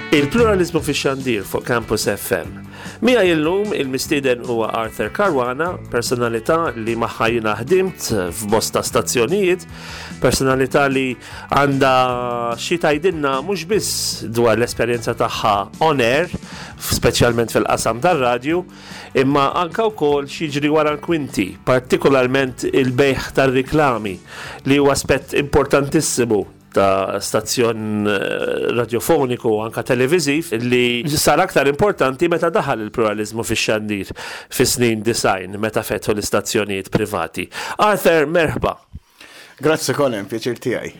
Il-pluralizmu fix-xandir fuq Campus FM. Miegħi illum il-mistieden huwa Arthur Caruana, personalità li magħha jiena ħdimt f'bosta stazzjonijiet, personalità li għandha xi tgħidilna mhux biss dwar l-esperjenza tagħha on air, speċjalment fil-qasam tar-radju, imma anke wkoll x'jiġri wara l-kwinti, partikolarment il-bejgħ tar-riklami li huwa aspett importantissimu ta' stazzjon eh, radjofoniku u anka televiżiv li sar aktar importanti meta daħal il-pluralizmu fix-xandir fis-snin design meta fetħu l-istazzjonijiet privati. Arthur, merħba. Grazzi Colin, pjaċir tiegħi.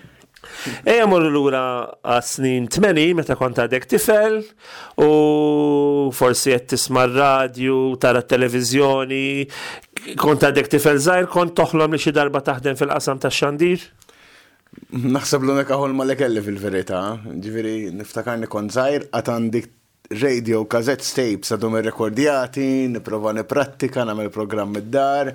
Ejja morru lura għas-snin 80 meta kont għadek tifel u forsi qed tisma' r-radju, tara t-televiżjoni, kont għadek tifel żgħir, kont toħlom li xi darba taħdem fil-qasam tax-xandir? Naħseb l-unika ħolma li kelli fil-verità, ġifieri niftakarni kont żgħir għad għandi radio cassettes tapes għadhom irrekordjati, nipprova nipprattika, nagħmel programm id-dar,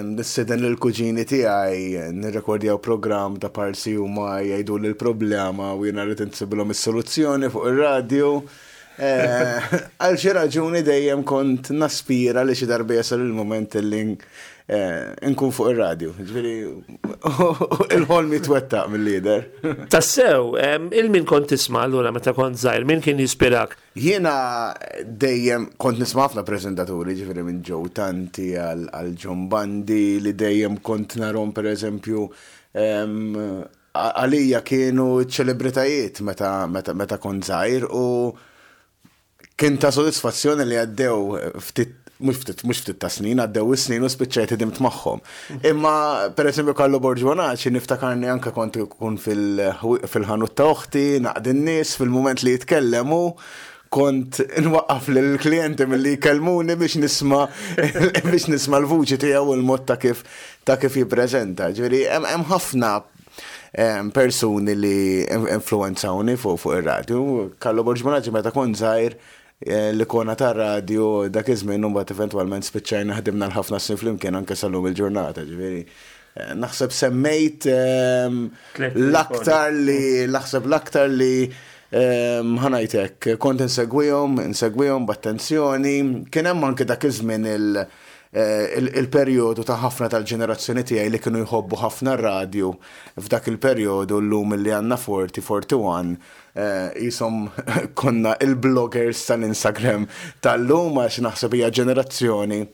nistieden lill-kuġini tiegħi nirrekordjaw programm ta' parsi huma jgħiduli l-problema u jiena rrid insibilhom is-soluzzjoni fuq ir-radju. Eh, għal xi raġuni dejjem kont naspira li xi darba jasal il-moment li eh, nkun fuq ir-radju. Ġifieri il-ħolm jitwettaq mill-lider. Tassew, il-min kont tisma' allura meta kont żgħir, min kien jispirak? Jiena dejjem kont nisma' ħafna preżentaturi, ġifieri minn Joe Tanti għal John Bandi li dejjem kont narhom pereżempju Għalija kienu ċ-ċelebritajiet meta meta meta kont żgħir u kien ta' sodisfazzjoni li għaddew ftit mhux ftit mhux ftit ta' snin, għaddew is-snin u spiċċajt ħdimt magħhom. Imma pereżempju Carlo Borg Bonaci niftakarni anke kont ikun fil-ħanut ta' oħti, naqdi n-nies fil-mument li jitkellem hu kont nwaqqaf lill-klijenti milli jkellmuni biex nisma' biex nisma' l-vuċi tiegħu u l-mod ta' kif ta' kif jippreżenta. Ġifieri hemm ħafna persuni li influwenzawni fuq fuq ir-radju. Carlo Borg Bonaci meta kont żgħir eh, l-ikona tar-radju dak iż-żmien u mbagħad eventwalment spiċċajna ħdimna l-ħafna snin flimkien anke sal-lum il-ġurnata, ġifieri eh, naħseb semmejt ehm, l-aktar li naħseb l-aktar li ehm, ħanajt hekk, kont insegwihom, insegwihom b'attenzjoni, kien hemm anke dak iż-żmien il- il-perjodu ta' ħafna tal-ġenerazzjoni tiegħi li kienu jħobbu ħafna r-radju f'dak il-perjodu llum li għandna 40, 41 qishom konna il-bloggers tal-Instagram tal-lum għax naħseb hija ġenerazzjoni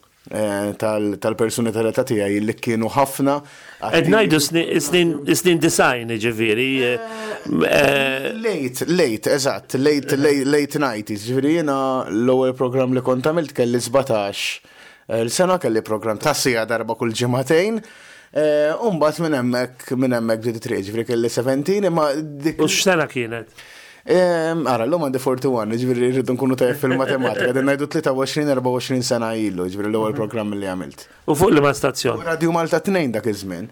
tal-persuni tal-età tiegħi li kienu ħafna. Qed ngħidu snin design ġifieri. Late, late, eżatt, late, late 90s, ġifieri jiena l-ewwel programm li kont għamilt kelli 17 l-sena kelli programm ta' siegħa darba kull ġimagħtejn. U mbagħad minn hemmhekk minn hemmhekk bdiet it-triq, ġifieri kelli 17 imma dik. U x'sena kienet? Ara, l-lum għandi 41, ġifieri rridu nkunu tajjeb fil-matematika, din ngħidu 23-24 sena ilu, ġifieri l-ewwel programm li għamilt. U fuq liema stazzjon? Radio Malta 2 dak iż-żmien.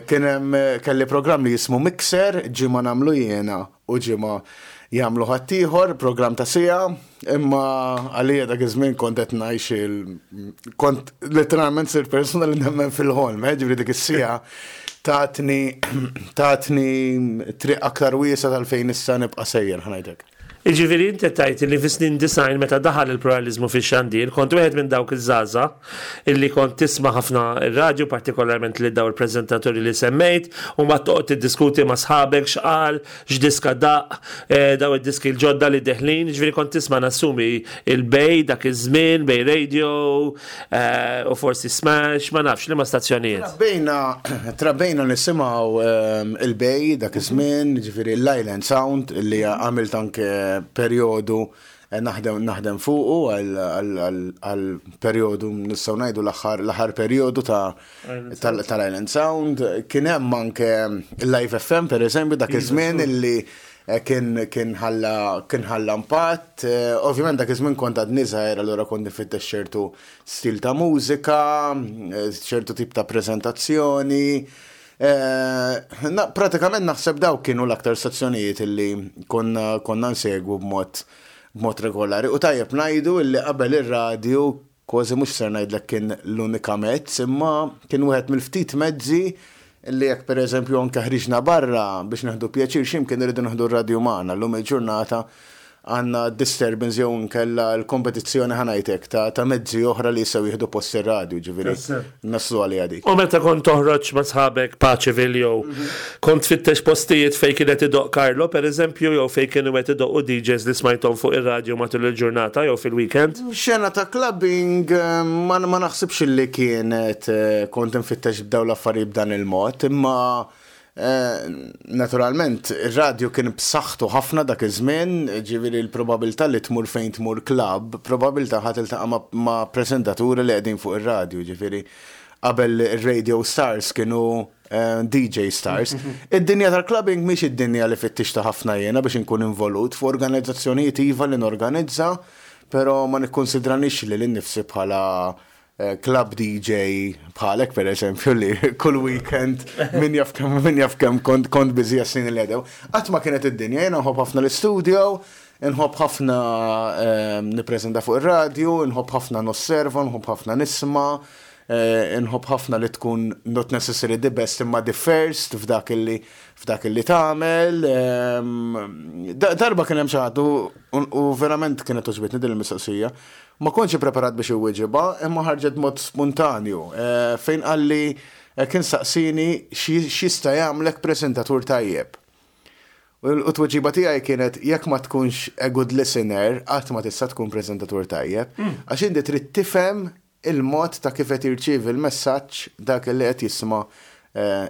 Kien hemm kelli programm li jismu Mixer, ġimgħa nagħmlu jiena u ġimgħa jagħmlu ħaddieħor, programm ta' siegħa, imma għalija dak iż-żmien kont qed ngħix il kont letteralment sirt persuna li nemmen fil-ħolm, eh, ġifieri dik is-siegħa tatni tatni triq aktar wiesgħa tal-fejn issa nibqa' sejjer ħa ngħidlek. Jiġifieri inti qed tgħid li fis-snin 90 meta daħal il-pluraliżmu fix-xandir kont wieħed minn dawk iż-żgħażagħ illi kont tisma' ħafna r-radju partikolarment lil dawn il-preżentaturi li semmejt u mbagħad toqgħod tiddiskuti ma' sħabek x'qal, x'diska daqq, dawn id-diski l-ġodda li deħlin, jiġifieri kont tisma' nassumi il-Bay dak iż-żmien, Bay Radio, u forsi Smash, ma nafx liema stazzjonijiet. Trabbejna, trabbejna nisimgħu ehm, il-Bay dak iż-żmien, ġifieri l-Island Sound li għamilt anke perjodu eh, naħdem naħdem fuqu għal perjodu nistgħu ngħidu l-aħħar l-aħħar perjodu ta' tal-Island Sound. Kien hemm anke Live FM pereżempju dak iva, iż-żmien illi eh, kien kien ħalla kien ħalla impatt. Eh, ovvjament dak iż-żmien kont għadni żgħir allura kont nifittex ċertu stil ta' mużika, eh, ċertu tip ta' preżentazzjoni. Pratikament naħseb dawk kienu l-aktar stazzjonijiet illi konna konna nsegwu b'mod b'mod regolari. U tajjeb ngħidu illi qabel ir-radju Kważi mhux ser ngħidlek kien l-unika mezz, imma kien wieħed mill-ftit mezzi li jekk pereżempju anke ħriġna barra biex nieħdu pjaċir xi mkien irridu nieħdu r-radju magħna. Llum il-ġurnata għandna disturbance jew inkella l-kompetizzjoni, ħa ngħidlek, ta' mezzi oħra li jistgħu jieħdu post ir-radju, ġifieri naslu għalija dik. U meta kont toħroġ ma' sħabek Paceville jew kont tfittex postijiet fejn kienet idoqq Carlo, per eżempju, jew fejn kienu qed idoqqu DJs li smajthom fuq ir-radju matul il-ġurnata jew fil-weekend? Xena ta' clubbing ma naħsibx li kienet kont nfittex b'daw l-affarijiet b'dan il-mod, imma naturalment ir-radju kien b'saħħtu ħafna dak iż-żmien, ġifieri l-probabilità li tmur fejn tmur club, probabilità ħa tiltaqa' ma' preżentaturi li qegħdin fuq ir-radju, ġifieri qabel ir-radio stars kienu DJ stars. Id-dinja tal-clubbing mhix id-dinja li fittixta ħafna jiena biex inkun involut f'organizzazzjonijiet, iva li norganizza, però ma nikkonsidranix li l-nifsi bħala club DJ bħalek, per eżempju, li kull weekend min jaf kemm kont busy għas-snin li għadew. Qatt ma kienet id-dinja, jiena nħobb ħafna l-studio, nħobb ħafna nippreżenta fuq ir-radju, nħobb ħafna nosserva, nħobb ħafna nisma', nħobb ħafna li tkun not necessarily the best imma the first f'dak illi tagħmel. Darba kien hemm xi ħadd u verament kienet għoġbitni din il-mistoqsija. Ma kontx preparat biex iwieġibha, imma ħarġet mod spontanju. Fejn qalli, kien saqsini x'jista' jagħmlek preżentatur tajjeb. U t-tweġiba tiegħi kienet: jekk ma tkunx a good listener, qatt ma tista' tkun preżentatur tajjeb. Għax inti trid tifhem il-mod ta' kif qed jirċievi l-messaġġ dak li qed jisma'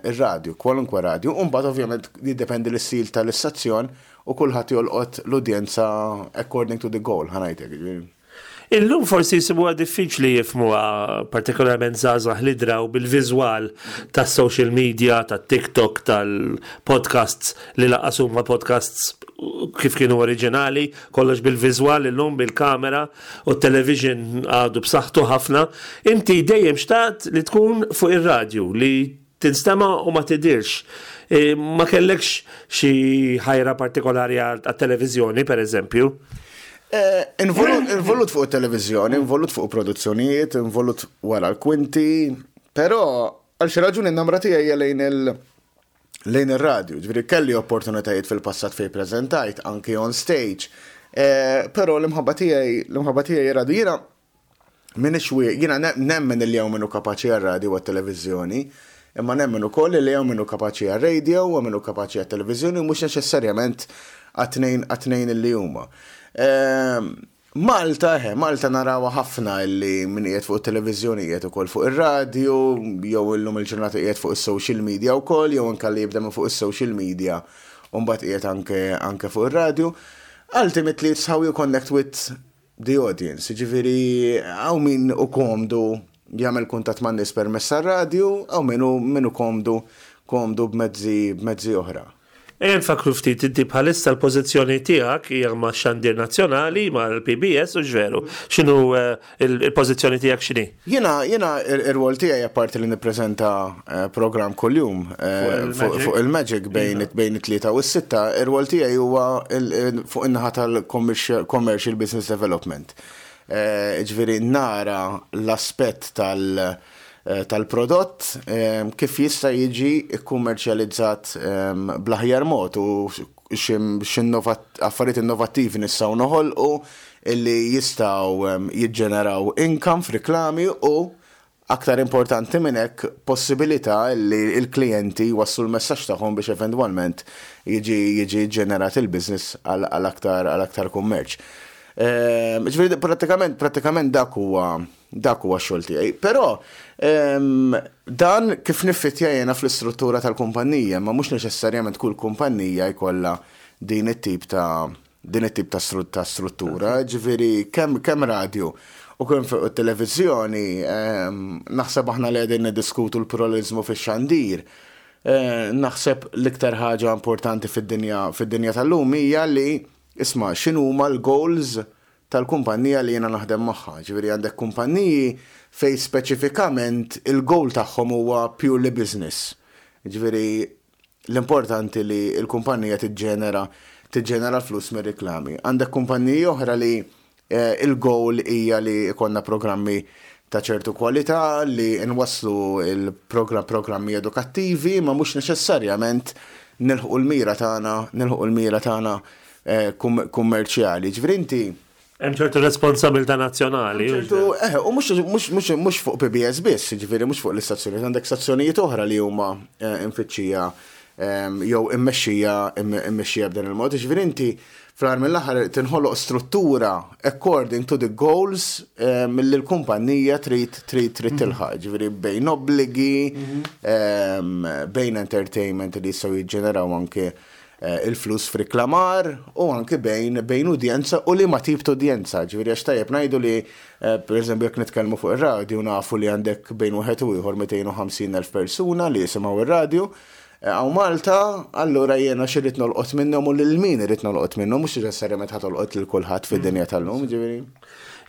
ir-radju, kwalunkwe radju. U mbagħad ovvjament jiddependi l-istil tal-istazzjon u kulħadd jolqot l-udjenza according to the goal, ħa ngħidlek. Illum forsi jisibuha diffiċli jifhmuha, partikolarment żgħażagħ li draw bil-viżwal tas-social media, tat-TikTok, tal-podcasts li lanqas huma podcasts kif kienu oriġinali, kollox bil-viżwal illum bil-kamera u television għadu b'saħħtu ħafna. Inti dejjem xtaqt li tkun fuq ir-radju, li tinstema u ma tidirx. Ma kellekx xi ħajra partikolari għat-televiżjoni, per eżempju? Involut fuq il-televizjoni, involut fuq produzzjonijiet, involut wara l-kwinti, però għal xi raġuni n-namra tiegħi hija lejn ir-radju. Ġifieri kelli opportunitajiet fil-passat fejn preżentajt anki on stage. Però l-imħabba tiegħi radio. Jiena minix jiena nemmen li hawn min hu kapaċi għar-radio u għat-televiżjoni, imma nemmen ukoll li hawn min hu kapaċi għar-radio u min hu kapaċi għat-televiżjoni u mhux neċessarjament għat-tnejn li huma. Malta, Malta narawa ħafna illi min qiegħed fuq it-televiżjoni qiegħed ukoll fuq ir-radio, jew illum il-ġurnata qiegħed fuq is-social media wkoll, jew anke li jibda minn fuq is-social media u mbagħad qiegħed anke fuq ir-radio. Ultimately, it's how you connect with the audience. Ġifieri, hawn min hu komdu jagħmel kuntatt man nies permezz tar-radio, hawn min hu komdu b'mezzi oħra. Ejja nfakru ftit, inti bħalissa l-pożizzjoni tiegħek hija ma' Xandir Nazzjonali, mal-PBS, hux veru? X'inhu il-pożizzjoni tiegħek, x'inhi? Jiena ir-rwol tiegħi, apparti li nippreżenta program kuljum fuq il-Magic bejn it-3 u s-6, ir-rwol tiegħi huwa fuq in-naħa tal-commercial business development. Ġifieri nara l-aspett tal-prodott kif jista' jiġi kkummerċjalizzat bl-aħjar mod u affarijiet innovattivi nistgħu noħolqu illi jistgħu jiġġeneraw income f'riklami u, aktar importanti minn hekk, possibilità li l-klijenti jwasslu l-messaġġ tagħhom biex eventwalment jiġi ġenerat il-business għal aktar kummerċ. Ġifieri prattikament dak huwa x-xogħol tiegħi. Però dan kif niffittja jiena fl-istruttura tal-kumpanija, ma mhux neċessarjament kull kumpanija jkollha din it-tip ta' struttura, ġifieri kemm radio u kemm fuq it-televiżjoni, naħseb aħna li qegħdin niddiskutu l-pluralizmu fix-xandir. Naħseb l-iktar ħaġa importanti fid-dinja tal-lum hija li, isma', x'inhuma l-goals tal-kumpanija li jiena naħdem magħha. Ġifieri għandek kumpaniji fej speċifikament il-goal tagħhom huwa purely business. Ġifieri l-importanti li l-kumpanija tiġġenera flus mir-reklami. Għandek kumpaniji oħra li il-goal hija li jkollna programmi ta' ċertu kwalità, li nwasslu il-programmi edukattivi, ma mhux neċessarjament nilħqu l-mira tagħna kummerċjali. Ġifieri inti Hemm ċertu responsabilità nazzjonali. Ċertu, eh, u mhux fuq PBS biss, ġifieri mhux fuq l-istazzjonijiet, għandek stazzjonijiet oħra li huma imfittxija jew immexxija immexxija b'dan il-mod. Ġifieri inti fl-aħħar mill-aħħar tinħoloq struttura according to the goals milli l-kumpanija trid trid trid tilħaq. Ġifieri bejn obbligi, bejn entertainment li jistgħu jiġġeneraw anke il-flus f'riklamar u anke bejn bejn udjenza u liema tip ta' udjenza. Ġifieri għax tajjeb ngħidu li per eżempju jekk nitkellmu fuq ir-radju nafu li għandek bejn wieħed u ieħor 250,000 persuna li jisimgħu ir-radju. Hawn Malta, allura jiena x'irrid nolqot minnhom u lil min irrid nolqot minnhom, mhux neċessarjament ħa tolqot lil kulħadd fid-dinja tal-lum, ġifieri.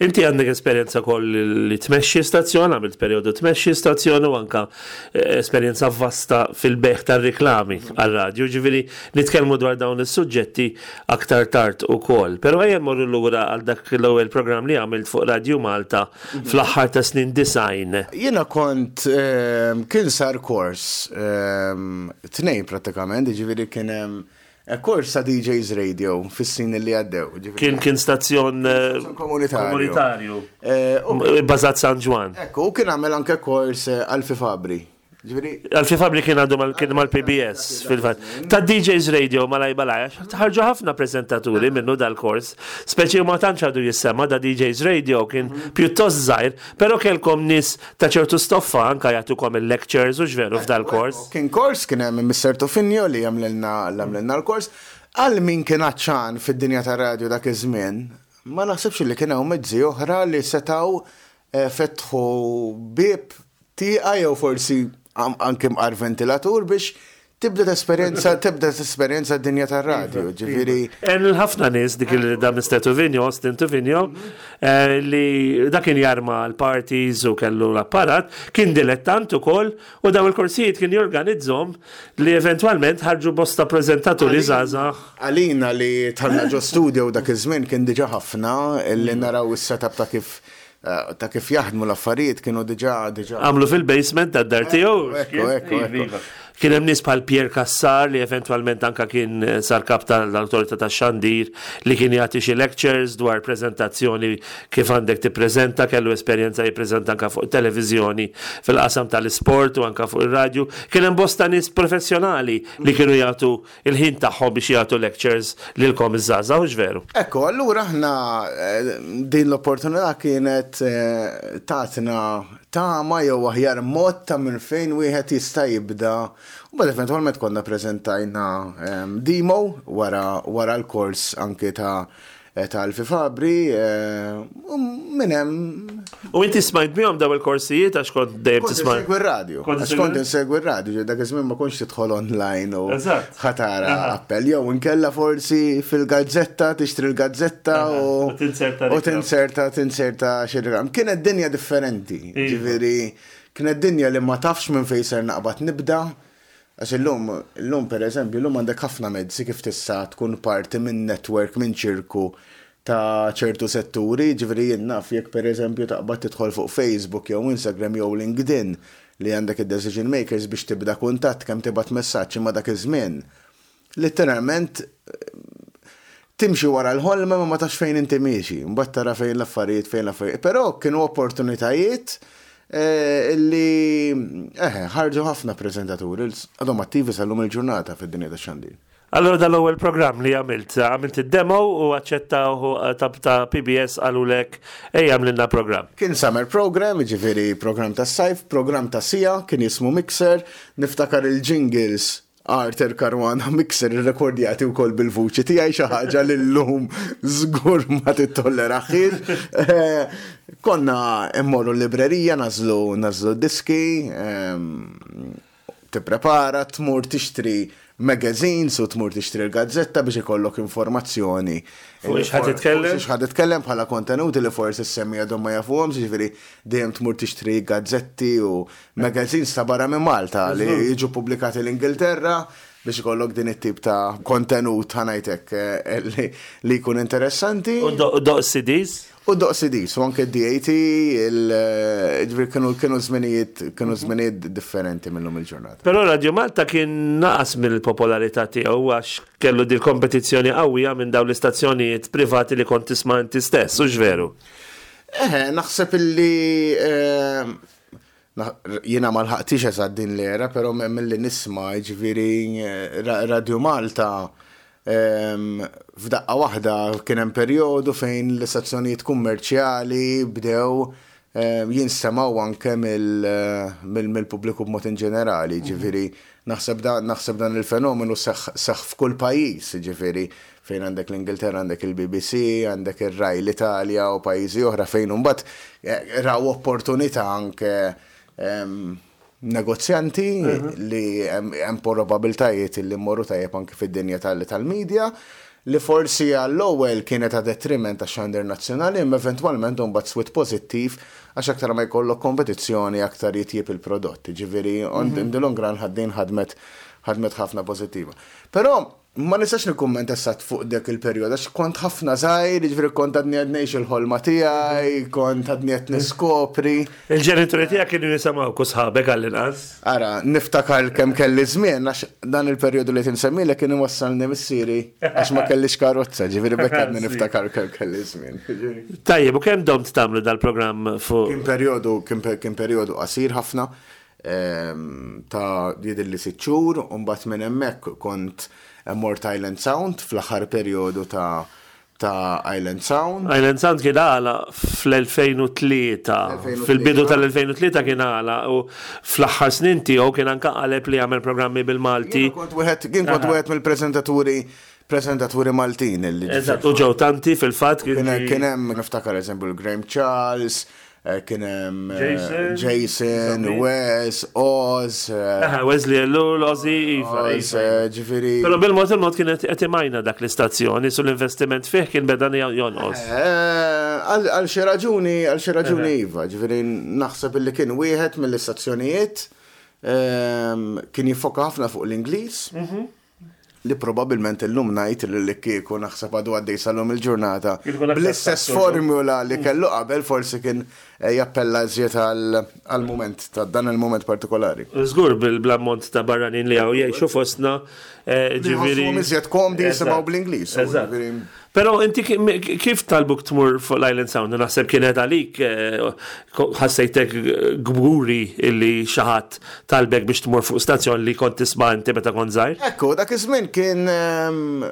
Inti għandek esperjenza wkoll li tmexxi stazzjon, għamilt perjodu tmexxi stazzjon u anka esperjenza vasta fil-bejgħ tar-riklami għar-radju, ġifieri nitkellmu dwar dawn is-suġġetti aktar tard ukoll. Però ejja mmorru lura għal dak l-ewwel programm li għamilt fuq Radju Malta fl-aħħar ta' snin 90. Jiena kont kien sar kors tnejn prattikament, jiġifieri kien hemm kors ta' DJs Radio fis-snin li għaddew. Kien kien stazzjon komunitarju. Komunitarju. Bbażat San Ġwann. Ekku, u kien għamel anke kors Alfie Fabri. Alfie Fabri kien għadu kien mal-PBS fil-fatt. Ta' DJs Radio malaj malaj, ħarġu ħafna prezentaturi minnu dal-kors, speċi ma tantx għadu jissema da DJs Radio kien pjuttost żgħir, però kellkom nies ta' ċertu stoffa anka jagħtukom il-lectures u x'veru f'dal-kors. Kien kors, kien hemm Mr. Tofinio li għamlilna l-kors. Għal min kien għatxan fid-dinja tar-radju dak iż-żmien, ma naħsibx li kien hawn mezzi oħra li setgħu fetħu bieb tieqa jew forsi anke mqar ventilatur biex tibda tesperjenza tibda tesperjenza d-dinja tar-radju, ġifieri. Hemm ħafna nies dik il da Mr. Tuvinio, Austin Tuvinio, li dak kien jarma l-parties u kellu l-apparat, kien dilettant ukoll u daw il-korsijiet kien jorganizzhom li eventwalment ħarġu bosta preżentaturi żgħażagħ. Għalina li dħalna ġo studio dak iż-żmien kien diġà ħafna li naraw is-setup ta' kif ta' kif jaħdmu l-affarijiet kienu diġà diġà. Għamlu fil-basement tad-dar tiegħu. Ekku, ekku, ekku. Kien hemm nies bħal Pierre Cassar li eventwalment anka kien sar kap tal-Awtorità tax-Xandir li kien jagħti xi lectures dwar preżentazzjoni kif għandek tippreżenta, kellu esperjenza jippreżenta anka fuq televiżjoni fil-qasam tal-isport u anka fuq ir-radju. Kien hemm bosta nies professjonali li kienu jagħtu il-ħin tagħhom biex jagħtu lectures lilkom iż-żgħażagħ, hux veru? Ekku, allura aħna din l-opportunità kienet tatna tama jew aħjar mod ta' minn fejn wieħed jista' jibda. U mbagħad eventwalment konna preżentajna demo wara wara l-kors anke ta' ta' Alfie Fabri u minn hemm. U inti smajt bihom daw il-korsijiet għax kont dejjem tisma'. Kont insegwi r-radju. Għax kont insegwi r-radju, dak iż-żmien ma kontx tidħol online u ħatara appell jew inkella forsi fil-gazzetta tixtri l-gazzetta u u tinserta tinserta xi reklam. Kienet dinja differenti, ġifieri kienet dinja li ma tafx minn fejn ser naqbad nibda. Għax illum, illum per eżempju, illum għandek ħafna mezzi kif tista' tkun parti minn network, minn ċirku ta' ċertu setturi, jiġifieri jien naf jekk per eżempju taqbad tidħol fuq Facebook jew Instagram jew LinkedIn li għandek id-decision makers biex tibda kuntatt kemm tibgħat messaġġ imma dak iż-żmien Litteralment timxi wara l-ħolma ma ma tafx fejn inti miexi, mbagħad tara fejn l-affarijiet fejn l-affarijiet. Però kienu opportunitajiet eh, li eh, ħarġu ħafna preżentaturi għadhom attivi sal-lum il-ġurnata fid-dinja tax-xandir. Allora dal-ewwel programm li għamilt, għamilt id-demo u aċċettaw eh, ta' PBS qalulek ejja għamlilna programm. Kien summer program, jiġifieri programm tas-sajf, programm ta' sija, kien jismu Mixer, niftakar il-jingles Arthur Caruana Mixer irrekordjati wkoll bil-vuċi tiegħi xi ħaġa li llum żgur ma tittolleraħiex. Eh, konna mmorru l-librerija nażlu nażlu diski, ehm, tipprepara, tmur tixtri magazines u tmur tixtri l-gazzetta biex ikollok informazzjoni. Fuq ix ħadd titkellem? Fuq ħadd titkellem bħala kontenuti li forsi semmi għadhom ma jafuhomx, jiġifieri dejjem tmur tixtri gazzetti u Magazines ta' barra minn Malta li jiġu pubblikati l-Ingilterra. biex ikollok din it-tip ta' kontenut ħa ngħid hekk eh, li jkun interessanti. U doq CDs? U doq CDs, u anke DAT, ġifieri kienu kienu żminijiet kienu żminijiet differenti minnhom il-ġurnata. Però Radio Malta kien naqas mill-popolarità tiegħu għax kellu dil kompetizzjoni qawwija minn dawn l-istazzjonijiet privati li kont tisma' inti stess, hux veru? Eħe, naħseb illi eh, Jiena ma lħaqtix eżatt din l-era, però milli nisma' jiġifieri Radio Malta f'daqqa waħda kien hemm perjodu fejn l-istazzjonijiet kummerċjali bdew jinstemgħu anke mill-pubbliku b'mod inġenerali, jiġifieri naħseb naħseb dan il-fenomenu seħħ f'kull pajjiż, jiġifieri fejn għandek l-Ingilterra għandek il-BBC, għandek ir-Rai l-Italja u pajjiżi oħra fejn imbagħad eh, raw opportunità anke ehm, negozjanti mhm. li hemm probabiltajiet li mmorru tajjeb anke fid-dinja tal-media li forsi għall-ewwel kienet ta' detriment ta' xandir nazzjonali imma eventwalment imbagħad swit pożittiv għax aktar ma jkollok kompetizzjoni aktar jitjieb il-prodott. Ġifieri on mhm. in the long run ħaddin ħadmet ħadmet ħafna pożittiva. Però Ma nistax nikkummenta eżatt fuq dak il-perjodu għax kont ħafna żgħir, jiġifieri kont għadni qed ngħix il-ħolma tiegħi, kont għadni qed niskopri. Il-ġenituri tiegħek kienu jisimgħuk u sħabek għall-inqas? Ara, niftakar kemm kelli żmien għax dan il-perjodu li qed insemmilek kien iwassalni missieri għax ma kellix karozza, ġifieri b'hekk għadni niftakar kemm kelli żmien. Tajjeb, u kemm domt tagħmlu dal-programm fuq? Kien perjodu kien perjodu qasir ħafna. ta' jidhirli sitt xhur u mbagħad minn hemmhekk kont mort Island Sound fl-aħħar perjodu ta' ta' Island Sound. Island Sound kien għalaq fl-2003. Fil-bidu tal-2003 kien għalaq u fl-aħħar snin tiegħu kien anke qaleb li jagħmel programmi bil-Malti. Jien kont wieħed jien kont wieħed mill-preżentaturi preżentaturi Maltin li. Eżatt, u ġew tanti fil-fatt. Kien hemm niftakar eżempju l-Graham Charles, Kien hemm Jason, Wes, Oz. Wesley Ellul, Ozzy, iva. Iva. Ġifieri. Però bil-mod il-mod kien qed imajna dak l-istazzjoni, su l-investiment fih kien beda jonqos. Għal xi raġuni, għal xi raġuni iva, ġifieri naħseb illi kien wieħed mill-istazzjonijiet kien jiffoka ħafna fuq l-Ingliż. Mhm. li probabilment illum ngħid li li kieku naħseb għadu għaddej sal-lum il-ġurnata bl-istess formula li kellu qabel forsi kien eh, jappella iżjed għal-mument ta' dan il-mument partikolari. Żgur bil-ammont ta' barranin li għaw jgħixu fostna eh, ġifieri. Iżjed komdi jisimgħu bl-Ingliż. Però inti kif talbuk tmur fuq l-Island Sound? Naħseb kienet għalik eh, ħassejtek gburi illi xi ħadd talbek biex tmur fuq stazzjon li kont tisma' inti meta kont żgħir? Ekku, dak iż-żmien kien ehm,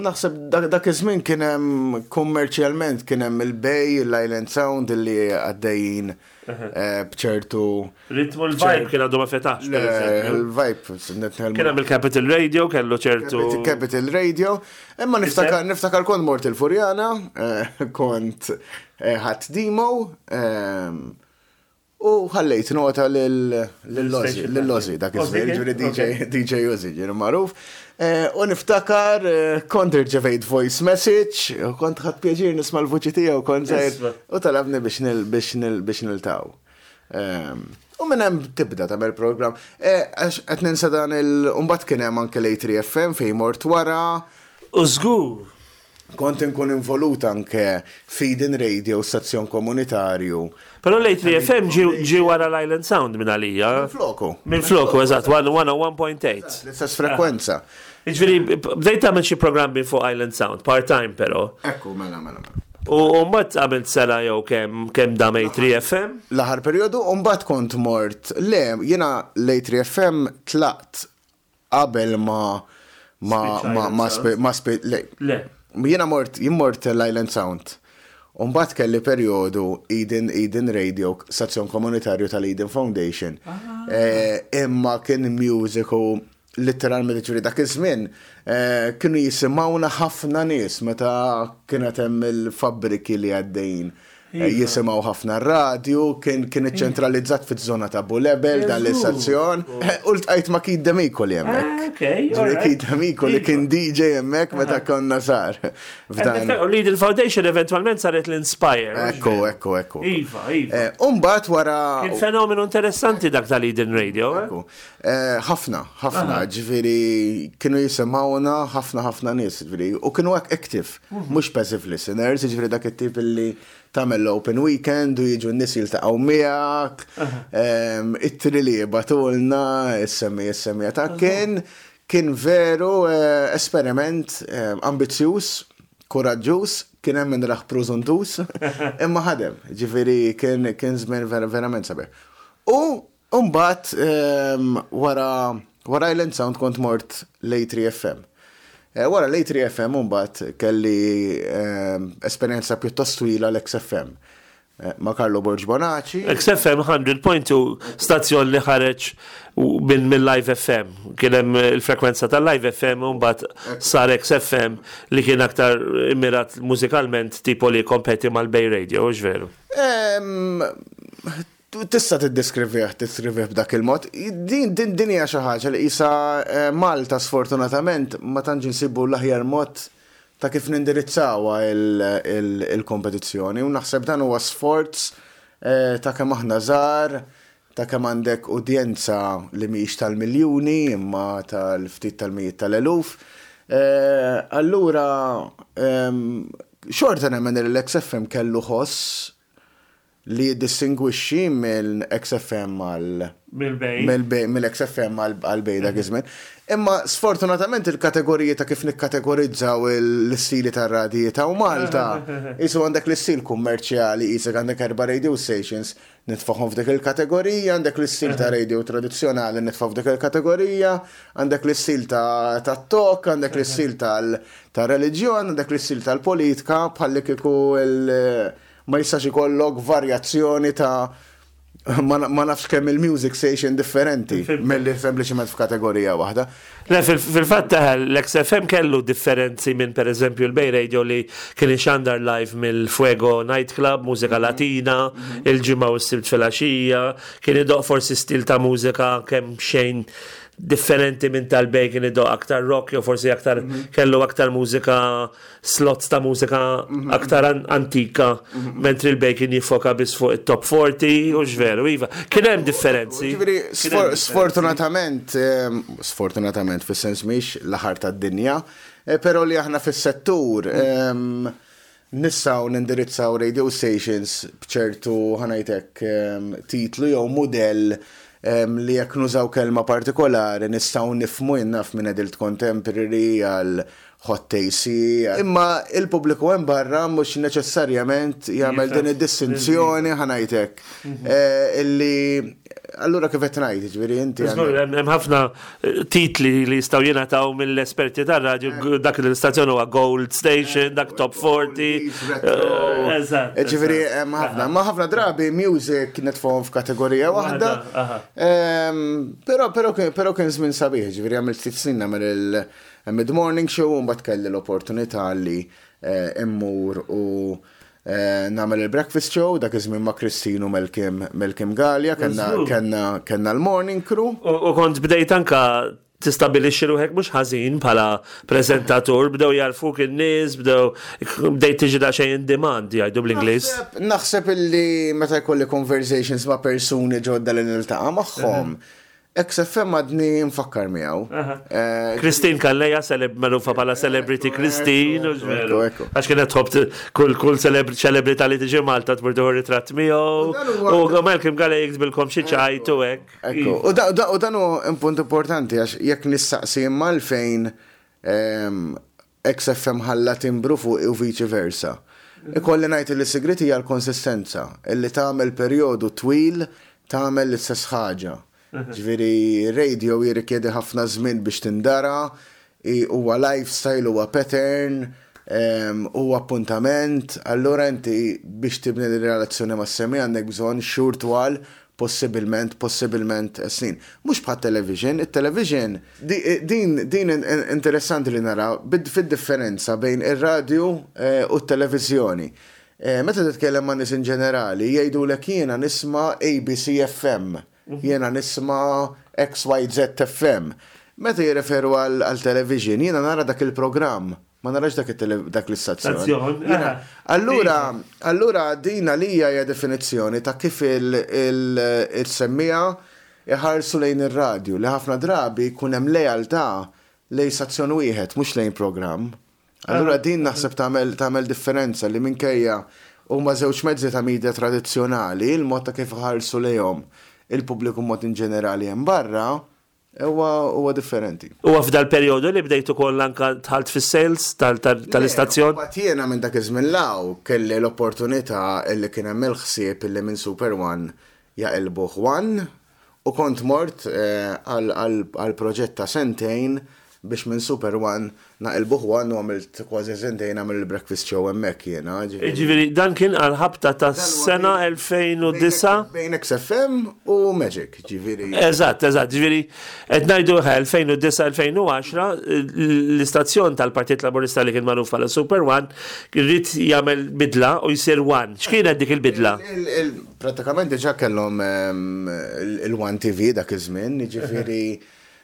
naħseb dak iż-żmien kien hemm kummerċjalment kien hemm il-Bay, l-Island Sound illi għaddejjin eh, bċertu. Ritmu l-vibe kien għadu ma fetax. Il-vibe. Kien hemm il-Capital Radio kellu ċertu. Capital Radio. Imma niftakar niftakar kont mort il-Furjana, eh, kont eh, ħadd demo ehm, u ħallejt nota lil-Lozi dak iż-żmien, ġifieri DJ DJ Uzi, ġifieri magħruf. Eh, u niftakar eh, kont irċevejt voice message, u kont ħadd pjaċir nisma' l-vuċi tiegħu kont żgħir u talabni biex nil biex nil biex niltaqgħu. Ehm, u minn hemm tibda tagħmel programm. Eh, għax qed ninsa dan il mbagħad kien hemm anke l-A3FM fejn mort wara. U żgur. Kont inkun involut anke f'Eden Radio, stazzjon komunitarju. Però l-A3FM ġie wara l-Island Sound minn għalija. Minn floku. Minn floku, eżatt, 101.8. L-istess frekwenza. Jiġifieri, bdejt tagħmel xi programmi fuq Island Sound, part-time però. Ekku, mela, mela, mela. U mbagħad għamilt sena jew kemm kemm dam A3FM? L-aħħar perjodu, u mbagħad kont mort, le, jiena l-A3FM tlaqt Qabel ma ma ma ma ma le. Le. Jiena mort jien mort l-Island Sound. U mbagħad kelli perjodu Eden Eden Radio, stazzjon komunitarju tal-Eden Foundation. Ah. Eh, imma kien music u letteralment ġifieri dak iż-żmien eh, kienu jisimgħuna ħafna nies meta kienet hemm il-fabbriki li għaddejjin. Jisimgħu ħafna r-radju, kien kien iċċentralizzat fiż-żona ta' Bulebel dan l-istazzjon. U ltqajt ma' Keith Demicoli hemmhekk. Ġifieri Keith Demicoli kien DJ hemmhekk meta konna żgħar. F'dan. U l-Eden Foundation eventwalment saret l-Inspire. Ekku, ekku, ekku. Iva, iva. U mbagħad wara. Kien fenomenu interessanti dak tal-Eden Radio. Ekku. Ħafna, ħafna, ġifieri kienu jisimgħuna ħafna ħafna nies, ġifieri, u kienu hekk active. Mhux passive listeners, jiġifieri dak it-tip illi tagħmel l-open weekend u jiġu n-nies jiltaqgħu miegħek, ittri li jibgħatulna, is-semmi is-semmija ta' kien kien veru esperiment ambizzjuż, kuraġġuż, kien hemm min rah prużuntuż, imma ħadem, ġifieri kien kien żmien verament sabiħ. U U mbagħad wara wara Island Sound kont mort l-A3 FM. Wara l-A3 FM mbagħad kelli esperjenza pjuttost twila l-XFM ma' Carlo Borg Bonaci. XFM 100.2 stazzjon li ħareġ minn mill-Live FM. Kien hemm il-frekwenza tal-Live FM u mbagħad sar XFM li kien aktar immirat mużikalment tipo li jikkompeti mal-Bay Radio, hux veru? Tista' tiddeskrivih, tiddeskrivih b'dak il-mod. Din, din, din hija xi ħaġa li qisha Malta sfortunatament ma tantx insibu l-aħjar mod ta' kif nindirizzawha il-kompetizzjoni u naħseb dan huwa sforz ta' kemm aħna żgħar, ta' kemm għandek udjenza li mhijiex tal-miljuni imma tal-ftit tal-mijiet tal-eluf. Allura xorta nemmen li l-XFM kellu ħoss li jiddistingwixxi minn XFM għal. Mill-Bay. Mill-XFM għal Bay dak iż-żmien. Imma sfortunatament il-kategoriji ta' kif nikkategorizzaw l-istili tar-radji ta' Malta, qisu għandek l-istil kummerċjali, qisek għandek erba' radio stations, nitfagħhom f'dik il-kategorija, għandek l-istil ta' radio tradizzjonali nitfgħu f'dik il-kategorija, għandek l-istil ta' talk, għandek l-istil tal-reliġjon, għandek l-istil tal-politika, bħallikieku il- Ma jistax ikollok varjazzjoni ta' ma nafx kemm il-music station differenti milli sempliċement f'kategorija waħda. Le, fil-fatt l-XFM kellu differenzi minn per eżempju l-Bay Radio li kien ixandar live mill-Fuego Nightclub, mużika latina, il-ġimgħa u s-sibt filgħaxija, kien idoqq forsi stil ta' mużika kemm xejn differenti minn tal-Bay kien idoqq aktar rock jew forsi aktar kellu aktar mużika slots ta' mużika aktar antika, mentri l-Bay kien jiffoka biss fuq it-top 40, u x'veru, iva. Kien hemm differenzi. Ġifieri, sfortunatament, sfortunatament fis-sens mhix l-aħħar tad-dinja, però li aħna fis-settur nistgħu nindirizzaw radio stations b'ċertu, ħa ngħid hekk, titlu jew mudell li jekk nużaw kelma partikolari nistgħu nifhmu, jien naf minn adult contemporary għal Hot AC, imma il-pubbliku hemm barra mhux neċessarjament jagħmel din id-distinzjoni ħa ngħid hekk. Eh, illi allura kif qed ngħid, ġifieri inti. Hemm ħafna eh, titli li jistgħu jingħataw mill-esperti tar-radju eh. dak l-istazzjon huwa Gold Station, dak Top 40. Eżatt. Ġifieri hemm ħafna, ma ħafna drabi music nitfgħuhom f'kategorija waħda. Ehm, però però però kien żmien sabiħ, ġifieri għamilt ftit snin nagħmel il- Mid-morning show u mbagħad kelli l-opportunità li mmur u nagħmel il-breakfast show dak iż-żmien ma' Christine u Malcolm Malcolm Galea kellna kellna kellna l-morning crew. U kont bdejt anka tistabilixxi ruħek mhux ħażin bħala preżentatur, bdew jagħrfuk in-nies, bdew bdejt tiġi daqsxejn in demand jgħidu bl-Ingliż. Naħseb illi meta jkolli conversations ma' persuni ġodda li niltaqa' magħhom, XFM għadni nfakkar miegħu. Eh, Christine Calleja, magħrufa bħala Celebrity Christine, u veru. Għax kienet tħobb kull kull ċelebrità li tiġi Malta tmur tieħu ritratt miegħu. U Malcolm Galea jiktbilkom xi ċajt u hekk. U dan hu punt importanti għax jekk nistaqsi imma għalfejn ehm, XFM ħalla timbru fuqi u viċi versa. Ikolli ngħid li s-sigriet hija l-konsistenza, illi tagħmel perjodu twil tagħmel l-istess ħaġa. Ġifieri radio jirrikjedi ħafna żmien biex tindara, huwa lifestyle, huwa pattern, huwa appuntament, allura inti biex tibni din ir-relazzjoni mas-semmiegħa għandek bżonn xhur twal possibilment, possibilment snin. Mhux bħat-television, it-television, din, din interessanti li nara fid-differenza bejn ir-radju u t-televiżjoni. Meta titkellem ma' nies in ġenerali, jgħidulek jiena nisma' ABC FM, jiena nisma' XYZ FM. Meta jirreferu għal television, jiena nara dak il-programm, ma narax dak dak l-istazzjon. Allura, allura din għalija hija definizzjoni ta' kif il-semmiegħa iħarsu lejn ir-radju, li ħafna drabi jkun hemm lealtà lejn stazzjon wieħed, mhux lejn programm. Allura din naħseb tagħmel tagħmel differenza li minkejja huma żewġ mezzi ta' media tradizzjonali, il-mod ta' kif iħarsu lejhom il-pubbliku mod in ġenerali hemm barra huwa huwa differenti. Huwa f'dal-perjodu li bdejt ukoll anke dħalt fis-sales tal-istazzjon? Mbagħad jiena minn dak iż-żmien 'l hawn kelli l-opportunità li kien hemm il-ħsieb li minn Super One jaqilbuh One U kont mort għal proġett ta' sentejn biex minn Super One naqilbuh One u għamilt kważi sentejn nagħmel il-breakfast show hemmhekk jiena. Jiġifieri dan kien għall-ħabta tas-sena 2009? Bejn XFM u Magic, ġifieri. Eżatt, eżatt, ġifieri qed ngħidu 2009-2010 l-istazzjon tal-Partit Laburista li kien magħruf bħala Super One ried jagħmel bidla u jsir One. X'kienet dik il-bidla? Prattikament diġà kellhom il-One TV dak iż-żmien, jiġifieri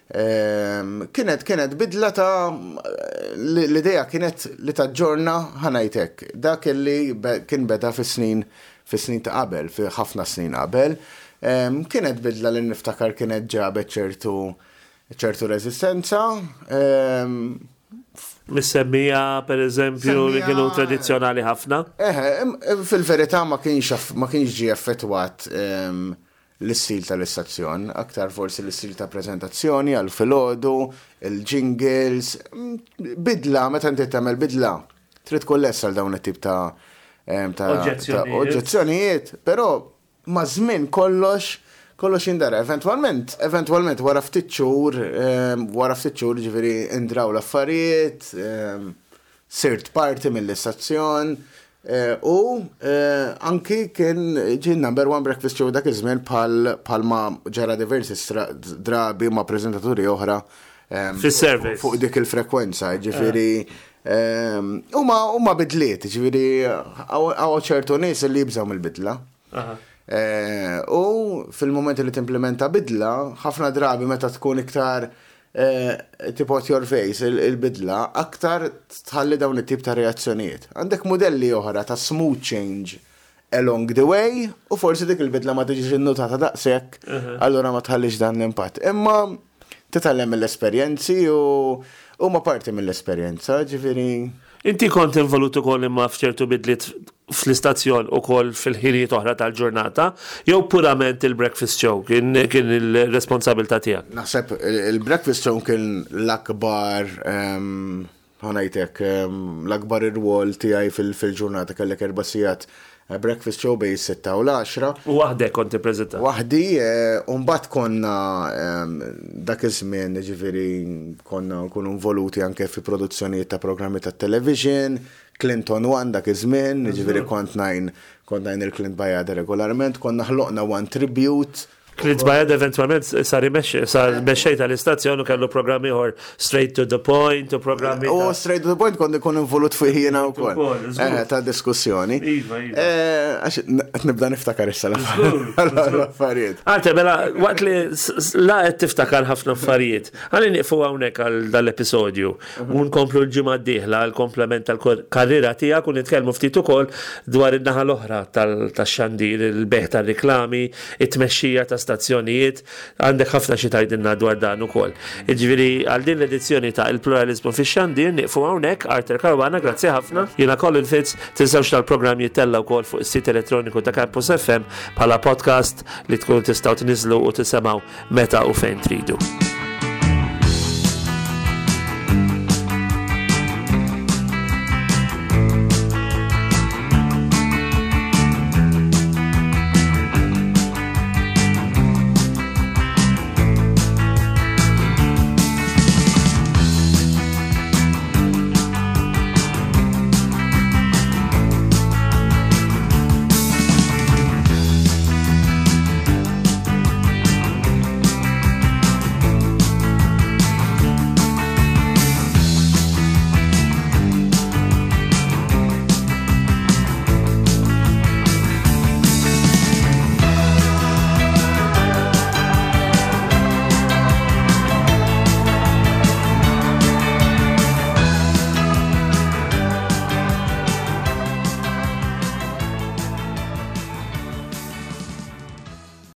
kienet kienet bidla ta' l-idea kienet li taġġorna ħa ngħid hekk, dak li kien beda fis-snin fis-snin ta' qabel, fi ħafna snin qabel. Kienet bidla li niftakar kienet ġabet ċertu ċertu reżistenza. Mis-semmija, per eżempju, li kienu tradizzjonali ħafna. Eħe, fil-verità ma kienx ma kienx ġie effettwat l-istil tal-istazzjon, aktar forsi l-istil ta' preżentazzjoni għal filgħodu, il-jingles, bidla, meta inti tagħmel bidla, trid tkun lest għal dawn it-tip ta' oġġezzjonijiet, però Maż-żmien kollox kollox jindara. Eventwalment, eventwalment wara ftit xhur, wara ftit xhur ġifieri indraw l-affarijiet, sirt parti mill-istazzjon u anki kien ġie number one breakfast show dak iż-żmien bħal bħalma ġara diversi drabi ma' preżentaturi oħra Fis-service. Fuq dik il-frekwenza, ġifieri huma huma bidliet, ġifieri hawn ċertu nies li jibżgħu mill-bidla. Eh, u fil-moment li timplementa bidla, ħafna drabi meta tkun iktar eh, tipo at your face il-bidla, aktar tħalli dawn it-tip ta' reazzjonijiet. Għandek modelli oħra ta' smooth change along the way u forsi dik il-bidla ma tiġix innutata daqshekk, allura ma tħallix dan l-impatt. Imma titgħallem mill-esperjenzi u huma parti mill-esperjenza, ġifieri. Inti kont involut ukoll imma f'ċertu bidliet fl-istazzjon ukoll fil-ħinijiet oħra tal-ġurnata, jew purament il-breakfast show kien kien il-responsabilità tiegħek? Naħseb il-breakfast show kien l-akbar ħa ngħid hekk, l-akbar irwol tiegħi fil-ġurnata kellek erba' sigħat breakfast show bejn is-sitta u l-għaxra. U waħdek kont tippreżenta? Waħdi, u mbagħad konna dak iż-żmien, jiġifieri konna nkunu involuti anke fi produzzjonijiet ta' programmi tat-television, Clinton One dak iż-żmien, jiġifieri kont ngħin kont ngħin il-Clint Bajada regolarment, konna ħloqna One Tribute, Clint Bayard eventwalment sar imexxi, sar mexxej tal-istazzjon u kellu programm ieħor Straight to the Point u programmi. U Straight to the Point kont ikun involut fih jiena wkoll. Eh, ta' diskussjoni. Iva, iva. Eh, għax qed nibda niftakar issa l-affarijiet. Arte, mela, waqt li la qed tiftakar ħafna affarijiet, ħalli nieqfu hawnhekk għal dal-episodju. U nkomplu l-ġimgħa d-dieħla għall-komplement tal-karriera tiegħek u nitkellmu ftit ukoll dwar in-naħa l-oħra tax-xandir, il-bejgħ tar-riklami, it-tmexxija ta' stazzjonijiet. Għandek ħafna xi tgħidilna dwar dan ukoll. Jiġifieri għal din l-edizzjoni ta' Il-Pluraliżmu fix-Xandir nieqfu hawnhekk. Arthur Caruana, grazzi ħafna. Jiena Colin Fitz, tinsewx tal-programm jittella' wkoll fuq is-sit elettroniku ta' Campus FM bħala podcast li tkunu tistgħu tniżżlu u tisemgħu meta u fejn tridu.